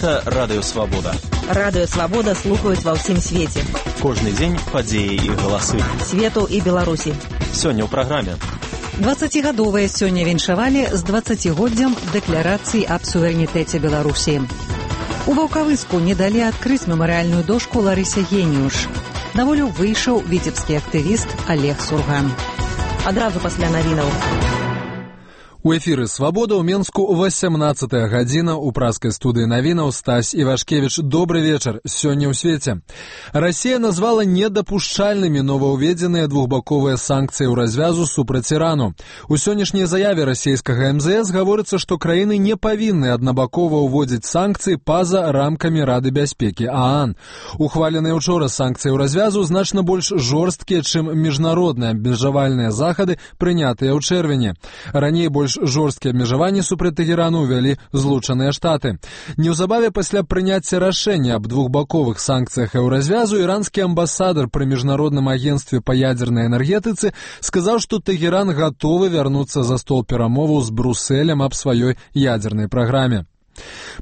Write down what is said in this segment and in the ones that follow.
Гэта Радыё Свабода. Радыё Свабода слухаюць ва ўсім свеце. Кожны дзень падзеі і галасы. Свету і Беларусі. Сёння ў праграме. 20-гадовыя сёння віншавалі з 20-годдзям дэкларацыі аб суверэнітэце Беларусі. У Ваўкавыску не далі адкрыць мемарыяльную дошку Ларысе Геніюш. На волю выйшаў віцебскі актывіст Олег Сурган. Адразу пасля навінаў. У эфіры «Свабода» ў Менску 18-я гадзіна. У праскай студыі навінаў Стась Івашкевіч. Добры вечар. Сёння ў свеце. Расія назвала недапушчальнымі новаўведзеныя двухбаковыя санкцыі ў развязу супраць Ірану. У сённяшняй заяве расійскага МЗС гаворыцца, што краіны не павінны аднабакова ўводзіць санкцыі па-за рамкамі Рады бяспекі ААН. Ухваленыя учора санкцыі ў развязу значна больш жорсткія, чым міжнародныя абмежавальныя захады, прынятыя ў чэрвені. Раней больш жорсткія абмежаванні супраць Тэхерану ўвялі Злучаныя Штаты. Неўзабаве пасля прыняцця рашэння аб двухбаковых санкцыях еўразвязу іранскі амбасадар пры міжнародным агенцтве па ядзернай энергетыцы сказаў, што Тэхеран гатовы вярнуцца за стол перамоваў з Брусэлем аб сваёй ядзернай праграме.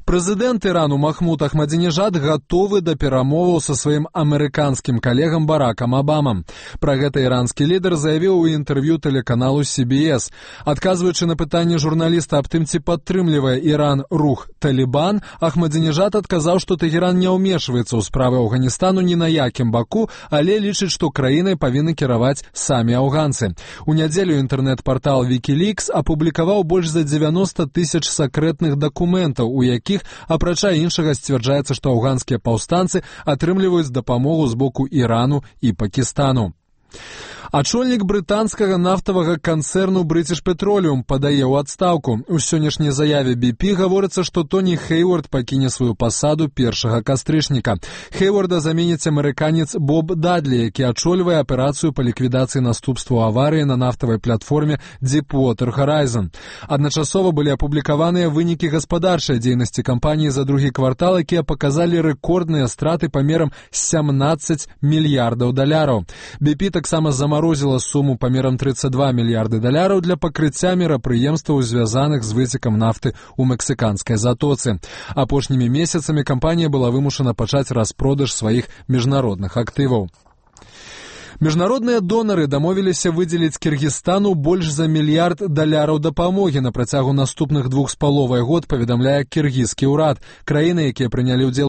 Прэзідэнт Ірану Махмуд Ахмадзінежад гатовы да перамоваў са сваім амерыканскім калегам Баракам Абамам. Пра гэта іранскі лідар заявіў у інтэрв'ю тэлеканалу CBS. Адказваючы на пытанне журналіста аб тым, ці падтрымлівае Іран рух Талібан, Ахмадзінежад адказаў, што Тэхеран не ўмешваецца ў справы Афганістану ні на якім баку, але лічыць, што краінай павінны кіраваць самі афганцы. У нядзелю інтэрнэт-партал Wikileaks апублікаваў больш за 90 тысяч сакрэтных дакументаў, у якіх, апрача іншага, сцвярджаецца, што афганскія паўстанцы атрымліваюць дапамогу з боку Ірану і Пакістану. Ачольнік брытанскага нафтавага канцэрну British Petroleum падае ў адстаўку. У сённяшняй заяве BP гаворыцца, што Тоні Хейвард пакіне сваю пасаду 1 кастрычніка. Хейварда заменіць амерыканец Боб Дадлі, які ачольвае аперацыю па ліквідацыі наступстваў аварыі на нафтавай платформе Deepwater Horizon. Адначасова былі апублікаваныя вынікі гаспадарчай дзейнасці кампаніі за другі квартал, якія паказалі рэкордныя страты памерам 17 мільярдаў даляраў. BP таксама замарозіла суму памерам 32 мільярды даляраў для пакрыцця мерапрыемстваў, звязаных з выцекам нафты ў мексіканскай затоцы. Апошнімі месяцамі кампанія была вымушана пачаць распродаж сваіх міжнародных актываў. Міжнародныя донары дамовіліся выдзеліць Кіргізстану больш за мільярд даляраў дапамогі на працягу наступных 2,5 год, паведамляе кіргізскі ўрад. Краіны, якія прынялі ўдзел